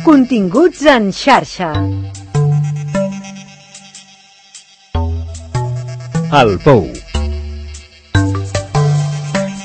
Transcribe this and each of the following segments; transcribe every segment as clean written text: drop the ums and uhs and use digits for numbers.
Continguts en xarxa. El Pou.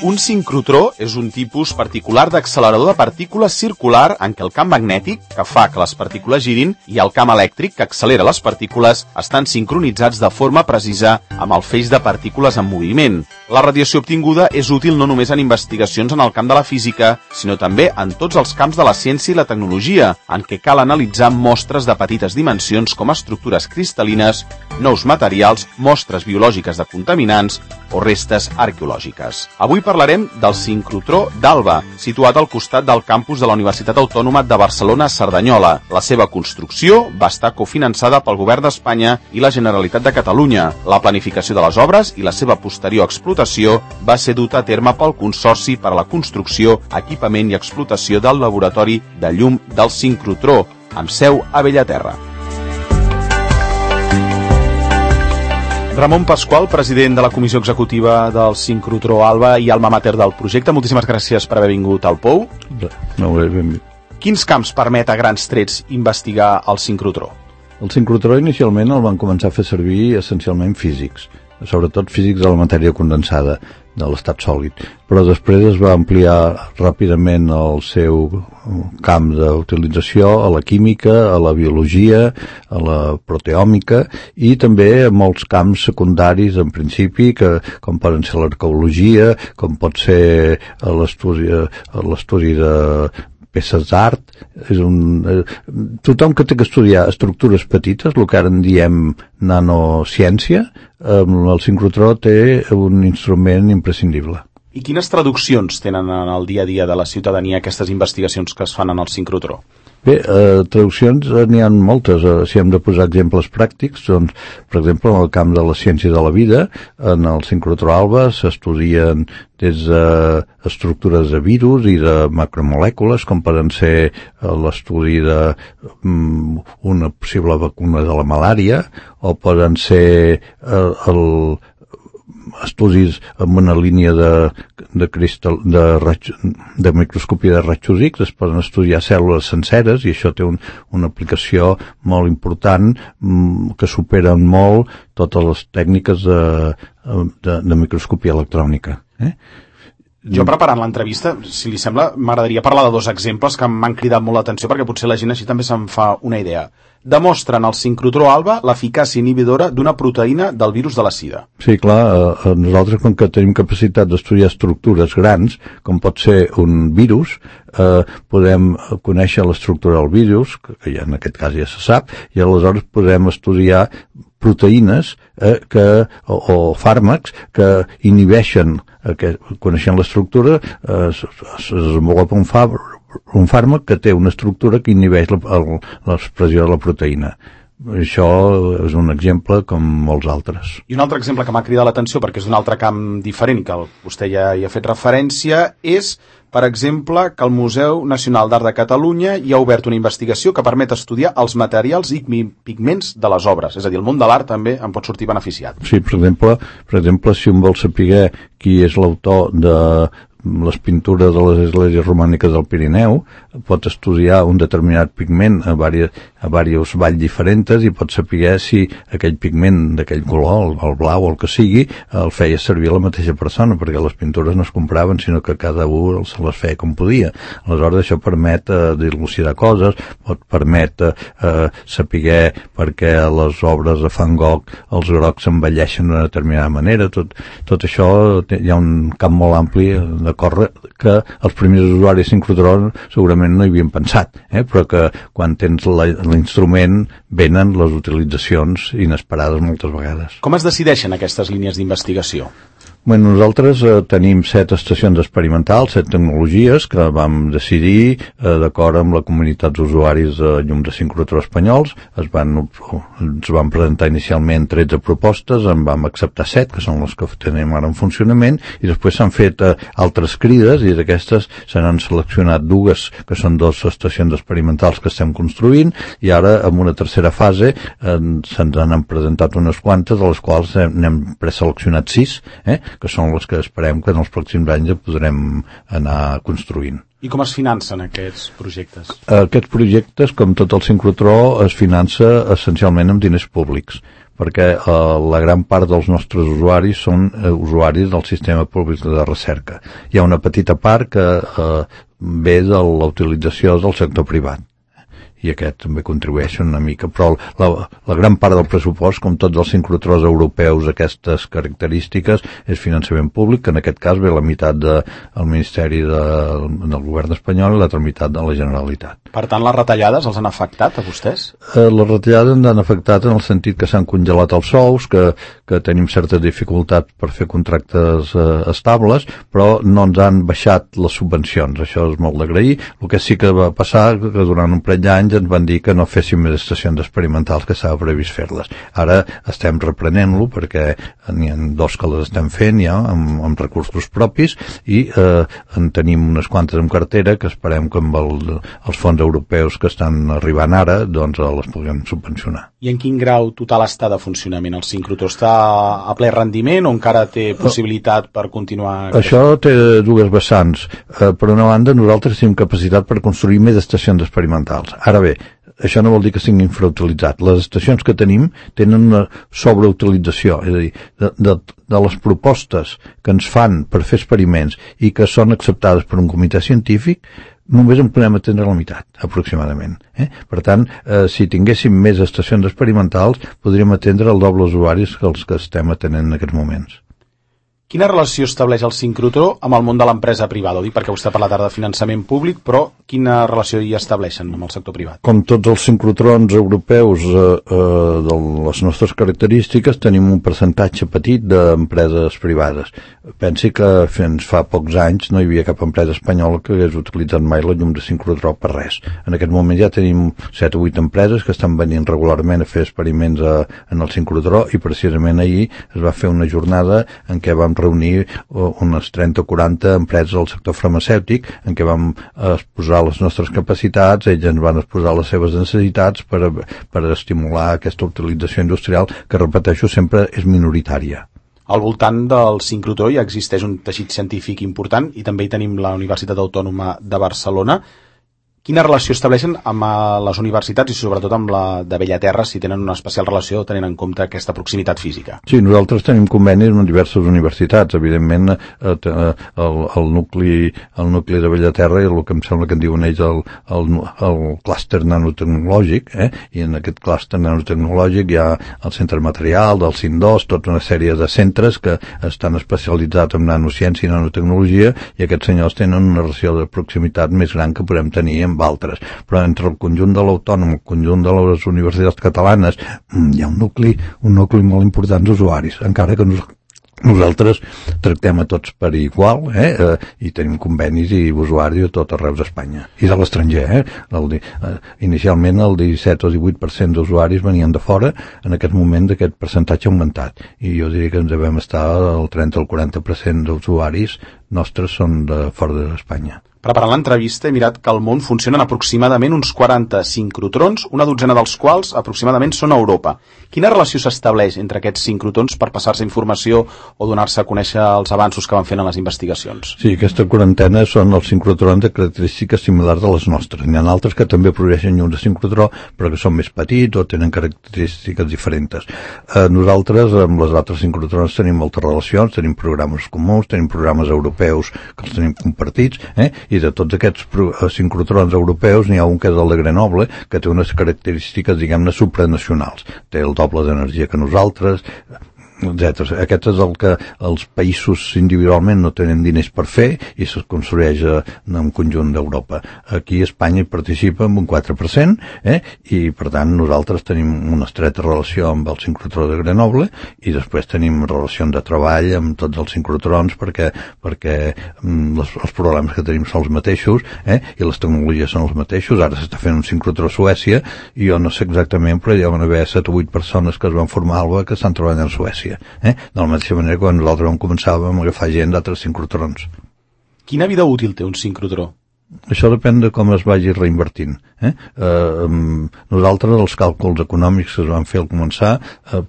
Un sincrotró és un tipus particular d'accelerador de partícules circular en què el camp magnètic, que fa que les partícules girin, i el camp elèctric, que accelera les partícules, estan sincronitzats de forma precisa amb el feix de partícules en moviment. La radiació obtinguda és útil no només en investigacions en el camp de la física, sinó també en tots els camps de la ciència i la tecnologia, en què cal analitzar mostres de petites dimensions com estructures cristal·lines, nous materials, mostres biològiques de contaminants o restes arqueològiques. Avui parlarem del sincrotró d'Alba, situat al costat del campus de la Universitat Autònoma de Barcelona a Cerdanyola. La seva construcció va estar cofinançada pel Govern d'Espanya i la Generalitat de Catalunya. La planificació de les obres i la seva posterior explotació va ser duta a terme pel Consorci per a la Construcció, Equipament i Explotació del Laboratori de Llum del Sincrotró, amb seu a Bellaterra. Ramon Pasqual, president de la Comissió Executiva del Sincrotró Alba i alma mater del projecte, moltíssimes gràcies per haver vingut al Pou. Quins camps permet a grans trets investigar el sincrotró? El sincrotró inicialment el van començar a fer servir essencialment físics, sobretot físics de la matèria condensada, de l'estat sòlid, però després es va ampliar ràpidament el seu camp d'utilització a la química, a la biologia, a la proteòmica i també a molts camps secundaris en principi, com poden ser l'arqueologia, com pot ser l'estudi de peces d'art. Tothom que té que estudiar estructures petites, el que ara en diem nanociència, el sincrotró té un instrument imprescindible. I quines traduccions tenen en el dia a dia de la ciutadania aquestes investigacions que es fan en el sincrotró? Bé, traduccions n'hi ha moltes. Si hem de posar exemples pràctics, doncs, per exemple, en el camp de la ciència de la vida, en el sincrotró Alba s'estudien des d'estructures de virus i de macromolècules, com poden ser l'estudi d'una possible vacuna de la malària, o poden ser estudis amb una línia de microscòpia de rajos X. Es poden estudiar cèl·lules senceres i això té una aplicació molt important que superen molt totes les tècniques de microscòpia electrònica. Jo, preparant l'entrevista, si li sembla, m'agradaria parlar de dos exemples que m'han cridat molt l'atenció perquè potser la gent així també se'n fa una idea. Demostren al sincrotró Alba l'eficàcia inhibidora d'una proteïna del virus de la sida. Sí, clar, nosaltres com que tenim capacitat d'estudiar estructures grans, com pot ser un virus, podem conèixer l'estructura del virus, que ja en aquest cas ja se sap, i aleshores podem estudiar proteïnes o fàrmacs que inhibeixen, coneixent l'estructura, es desenvolupa un fàrmac que té una estructura que inhibeix l'expressió de la proteïna. Això és un exemple com molts altres. I un altre exemple que m'ha cridat l'atenció, perquè és d'un altre camp diferent i que vostè ja hi ha fet referència, és, per exemple, que el Museu Nacional d'Art de Catalunya hi ha obert una investigació que permet estudiar els materials i pigments de les obres. És a dir, el món de l'art també en pot sortir beneficiat. Sí, per exemple, si un vol saber qui és l'autor de les pintures de les esglésies romàniques del Pirineu, pot estudiar un determinat pigment a diversos valls diferents i pot saber si aquell pigment d'aquell color, el blau o el que sigui, el feia servir la mateixa persona, perquè les pintures no es compraven, sinó que cada un se les feia com podia. Aleshores això permet dilucidar coses, permet saber per què les obres de Van Gogh els grocs s'envelleixen d'una determinada manera. Tot això hi ha un camp molt ampli de córrer que els primers usuaris sincrotró segurament no hi havien pensat, però que quan tens l'instrument venen les utilitzacions inesperades moltes vegades. Com es decideixen aquestes línies d'investigació? Bueno, nosaltres tenim 7 estacions experimentals, 7 tecnologies que vam decidir d'acord amb la comunitat d'usuaris de llum de sincrotró espanyols. Ens van presentar inicialment 13 propostes, en vam acceptar 7, que són les que tenim ara en funcionament, i després s'han fet altres crides, i d'aquestes se n'han seleccionat 2, que són 2 estacions experimentals que estem construint, i ara, en una tercera fase, se'ns han presentat unes quantes, de les quals n'hem preseleccionat 6, que són les que esperem que en els pròxims anys ja podrem anar construint. I com es financen aquests projectes? Aquests projectes, com tot el sincrotró, es finança essencialment amb diners públics, perquè la gran part dels nostres usuaris són usuaris del sistema públic de recerca. Hi ha una petita part que ve de la utilització del sector privat, i aquest també contribueix una mica, però la gran part del pressupost, com tots els sincrotrons europeus, aquestes característiques, és finançament públic, que en aquest cas ve la meitat del Ministeri del Govern espanyol i l'altra meitat de la Generalitat. Per tant, les retallades els han afectat a vostès? Les retallades ens han afectat en el sentit que s'han congelat els sous, que tenim certes dificultats per fer contractes estables, però no ens han baixat les subvencions, això és molt d'agrair. El que sí que va passar que durant un parell d'anys ens van dir que no féssim més estacions experimentals, que s'ha previst fer-les. Ara estem reprenent-lo perquè n'hi ha 2 que les estem fent ja amb recursos propis i en tenim unes quantes en cartera que esperem que amb els fons europeus que estan arribant ara doncs les puguem subvencionar. I en quin grau total està de funcionament el sincrotró? Està a ple rendiment o encara té possibilitat per continuar? Això té dues vessants. Per una banda, nosaltres tenim capacitat per construir més estacions experimentals. Ara bé, això no vol dir que siguin infrautilitzats. Les estacions que tenim tenen una sobreutilització, és a dir, de les propostes que ens fan per fer experiments i que són acceptades per un comitè científic, només en podem atendre la meitat, aproximadament. Per tant, si tinguéssim més estacions experimentals, podríem atendre el doble usuaris que els que estem atenent en aquests moments. Quina relació estableix el sincrotró amb el món de l'empresa privada? Ho dic perquè vostè ha parlat ara de finançament públic, però quina relació hi estableixen amb el sector privat? Com tots els sincrotrons europeus de les nostres característiques, tenim un percentatge petit d'empreses privades. Pensi que fins fa pocs anys no hi havia cap empresa espanyola que hagués utilitzat mai la llum de sincrotró per res. En aquest moment ja tenim 7 o 8 empreses que estan venint regularment a fer experiments en el sincrotró i precisament ahir es va fer una jornada en què vam reunir unes 30 o 40 empreses del sector farmacèutic en què vam exposar les nostres capacitats, ells ens van exposar les seves necessitats per estimular aquesta utilització industrial que, repeteixo, sempre és minoritària. Al voltant del sincrotró ja existeix un teixit científic important i també hi tenim la Universitat Autònoma de Barcelona. Quina relació estableixen amb les universitats i sobretot amb la de Bellaterra, si tenen una especial relació tenint en compte aquesta proximitat física? Sí, nosaltres tenim convenis amb diverses universitats. Evidentment, el nucli de Bellaterra i el que em sembla que en diuen ells el clúster nanotecnològic, i en aquest clúster nanotecnològic hi ha el centre material, del CIN2, tota una sèrie de centres que estan especialitzats en nanociència i nanotecnologia, i aquests senyors tenen una relació de proximitat més gran que podem tenir amb altres, però entre el conjunt de l'Autònom, el conjunt de les universitats catalanes, hi ha un nucli molt important d'usuaris, encara que nosaltres tractem a tots per igual, i tenim convenis i usuaris a tot arreu d'Espanya i de l'estranger. Inicialment el 17 o 18% d'usuaris venien de fora, en aquest moment aquest percentatge ha augmentat i jo diria que ens devem estar al 30 o el 40% d'usuaris nostres són de fora d'Espanya. Preparant l'entrevista he mirat que al món funcionen aproximadament uns 40 sincrotrons, una dotzena dels quals aproximadament són a Europa. Quina relació s'estableix entre aquests sincrotrons per passar-se informació o donar-se a conèixer els avanços que van fent en les investigacions? Sí, aquesta quarantena són els sincrotrons de característiques similars a les nostres. N'hi ha altres que també produeixen llums de sincrotró, però que són més petits o tenen característiques diferents. Nosaltres, amb les altres sincrotrons, tenim moltes relacions, tenim programes comuns, tenim programes europeus que els tenim compartits, i de tots aquests sincrotrons europeus n'hi ha un que és el de Grenoble, que té unes característiques, diguem-ne, supranacionals. Té el doble d'energia que nosaltres, etc. Aquest és el que els països individualment no tenen diners per fer i se construeix en un conjunt d'Europa. Aquí a Espanya hi participa amb un 4%, i per tant nosaltres tenim una estreta relació amb el sincrotró de Grenoble i després tenim relacions de treball amb tots els sincrotrons perquè els problemes que tenim són els mateixos, i les tecnologies són els mateixos. Ara s'està fent un sincrotró a Suècia i jo no sé exactament, però hi van haver 7 o 8 persones que es van formar a Alba que estan treballant a Suècia. De la mateixa manera que quan nosaltres vam començar vam agafar gent d'altres sincrotrons. Quina vida útil té un sincrotró? Això depèn de com es vagi reinvertint. Nosaltres, els càlculs econòmics que es van fer al començar,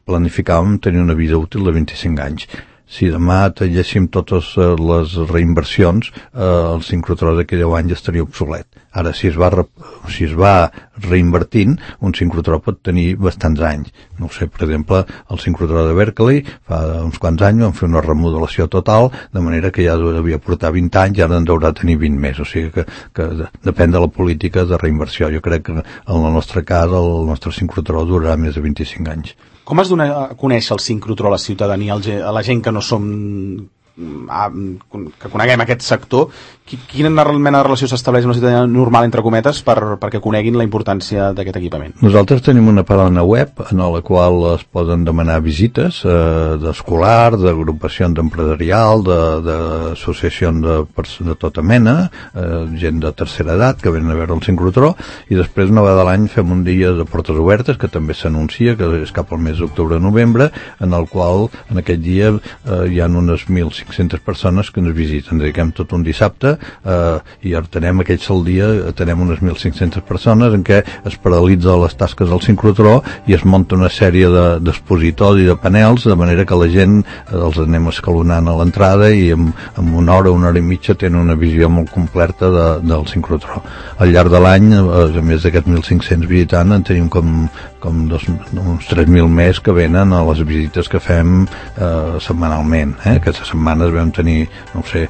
planificàvem tenir una vida útil de 25 anys. si demà talléssim totes les reinversions, el sincrotró d'aquí 10 anys estaria obsolet. Ara, si es va reinvertint, un sincrotró pot tenir bastants anys. No ho sé, per exemple, el sincrotró de Berkeley fa uns quants anys van fer una remodelació total, de manera que ja devia portar 20 anys i ara en deurà tenir 20 més. O sigui que depèn de la política de reinversió. Jo crec que en el nostre cas el nostre sincrotró durarà més de 25 anys. Com es dona a conèixer el sincrotró a la ciutadania, a la gent que no som que coneguem aquest sector? Quina mena de relació s'estableix amb la ciutadania normal, entre cometes, perquè coneguin la importància d'aquest equipament? Nosaltres tenim una pàgina web en la qual es poden demanar visites d'escolar, d'agrupacions empresarial, d'associacions de tota mena, gent de tercera edat que venen a veure el sincrotró, i després una vegada a l'any fem un dia de portes obertes que també s'anuncia, que és cap al mes d'octubre-novembre, en el qual en aquest dia hi ha unes 1.500 persones que ens visiten. Dediquem tot un dissabte i atenem aquell dia, atenem unes 1.500 persones en què es paralitza les tasques del sincrotró i es munta una sèrie d'expositors i de panels, de manera que la gent els anem escalonant a l'entrada i en una hora i mitja tenen una visió molt completa del sincrotró. Al llarg de l'any, a més d'aquests 1.500 visitants, en tenim com uns 3.000 més que venen a les visites que fem setmanalment. Aquestes setmanes vam tenir, no sé,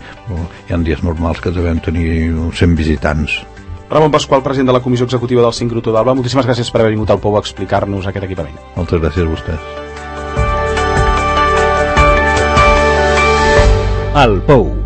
hi ha dies normals que devem tenir uns 100 visitants. Ramon Pasqual, president de la Comissió Executiva del Sincrotró d'Alba, moltíssimes gràcies per haver vingut al Pou a explicar-nos aquest equipament. Moltes gràcies a vostès. El Pou.